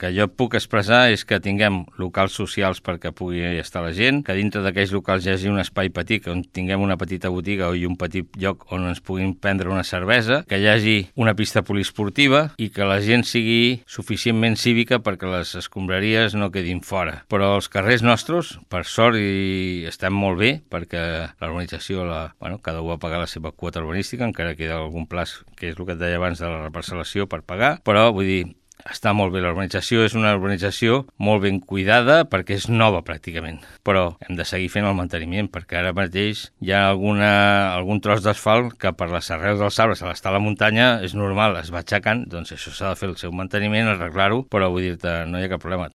que jo puc expressar és que tinguem locals socials perquè pugui estar la gent, que dintre d'aquells locals hi hagi un espai petit, on tinguem una petita botiga i un petit lloc on ens puguin prendre una cervesa, que hi hagi una pista poliesportiva i que la gent sigui suficientment cívica perquè les escombraries no quedin fora. Però els carrers nostres, per sort, i estem molt bé perquè la urbanització, cada un va pagar la seva quota urbanística, encara queda algun plaç, que és el que et deia abans de la reparcel·lació per pagar, però vull dir, està molt bé, la urbanització és una urbanització molt ben cuidada perquè és nova pràcticament, però hem de seguir fent el manteniment perquè ara mateix hi ha algun tros d'asfalt que per les arrels dels arbres a l'estar a la muntanya és normal, es va aixecant, doncs això s'ha de fer el seu manteniment, arreglar-ho, però vull dir-te, no hi ha cap problema.